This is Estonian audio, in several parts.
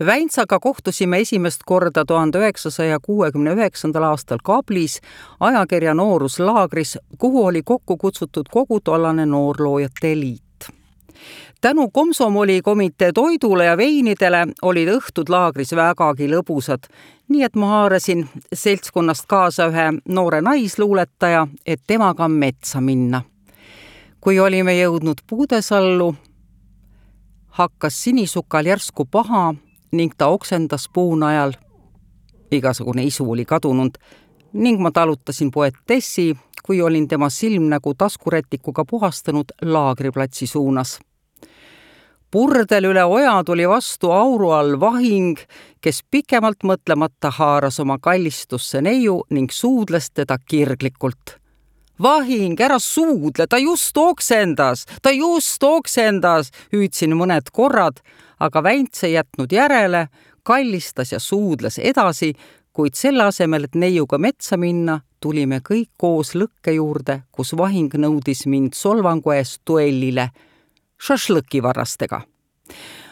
Väintsaga kohtusime esimest korda 1969. aastal Kablis ajakirja Nooruslaagris, kuhu oli kokku kutsutud kogu tollane noorloojate liit. Tänu komsomolikomitee toidule ja veinidele olid õhtud laagris vägagi lõbusad, nii et ma haarasin seltskonnast kaasa ühe noore naisluuletaja, et temaga metsa minna. Kui olime jõudnud puudesallu, hakkas sinisukal järsku paha ning ta oksendas puunajal. Igasugune isu oli kadunud ning ma talutasin poetessi, kui olin tema silmnägu taskurätikuga puhastanud laagriplatsi suunas. Purdel üle oja tuli vastu auru all vahing, kes pikemalt mõtlemata haaras oma kallistusse neiu ning suudles teda kirglikult. Vahing, ära suudle, ta just oksendas, hüüdsin mõned korrad, aga Väints ei jätnud järele, kallistas ja suudles edasi, kuid selle asemel, et neiuga metsa minna, tulime kõik koos lõkke juurde, kus vahing nõudis mind solvangu eest duellile šašlõkivarrastega.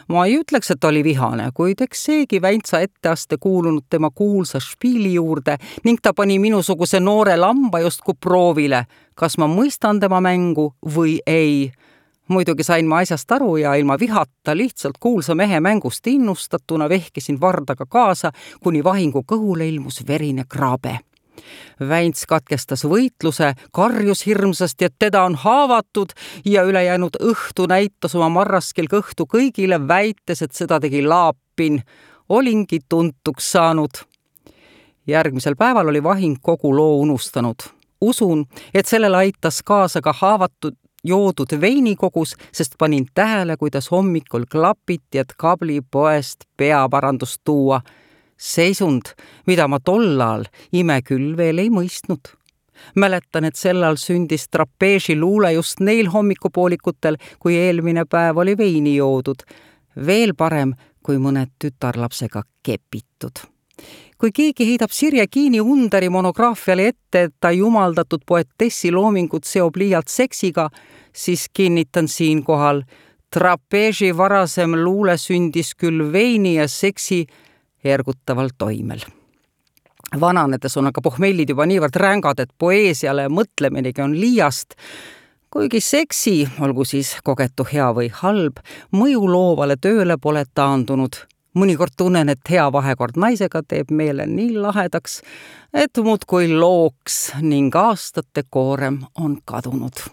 Ma ei ütleks, et oli vihane, kuid eks seegi Väintsa etteaste kuulunud tema kuulsa špiili juurde ning ta pani minusuguse noore lamba justkui proovile, kas ma mõistan tema mängu või ei. Muidugi sain ma asjast aru ja ilma vihata lihtsalt kuulsa mehe mängust innustatuna vehkisin vardaga kaasa, kuni vahingu kõhule ilmus verine kraabe. Väints katkestas võitluse, karjus hirmsasti, et teda on haavatud ja ülejäänud õhtu näitas oma marraskil kõhtu kõigile, väites, et seda tegi Laapin. Olingi tuntuks saanud. Järgmisel päeval oli vahing kogu loo unustanud. Usun, et sellele aitas kaasa ka haavatud joodud veinikogus, sest panin tähele, kuidas hommikul klapiti, et Kabli poest peaparandust tuua. Seisund, mida ma tollal ime küll veel ei mõistnud. Mäletan, et sellal sündis trapeesi luule just neil hommikupoolikutel, kui eelmine päev oli veini joodud. Veel parem, kui mõned tütarlapsega kepitud. Kui keegi heidab Sirje Kiini Underi monograafiale ette, et ta jumaldatud poetessi loomingut seob liialt seksiga, siis kinnitan siinkohal, trapeesi varasem luule sündis küll veini ja seksi ergutaval toimel. Vananedes on aga pohmellid juba niivõrd rängad, et poeesiale mõtleminegi on liiast, kuigi seksi, olgu siis kogetu hea või halb, mõju loovale tööle pole taandunud. Mõnikord tunnen, et hea vahekord naisega teeb meele nii lahedaks, et muudkui looks ning aastate koorem on kadunud.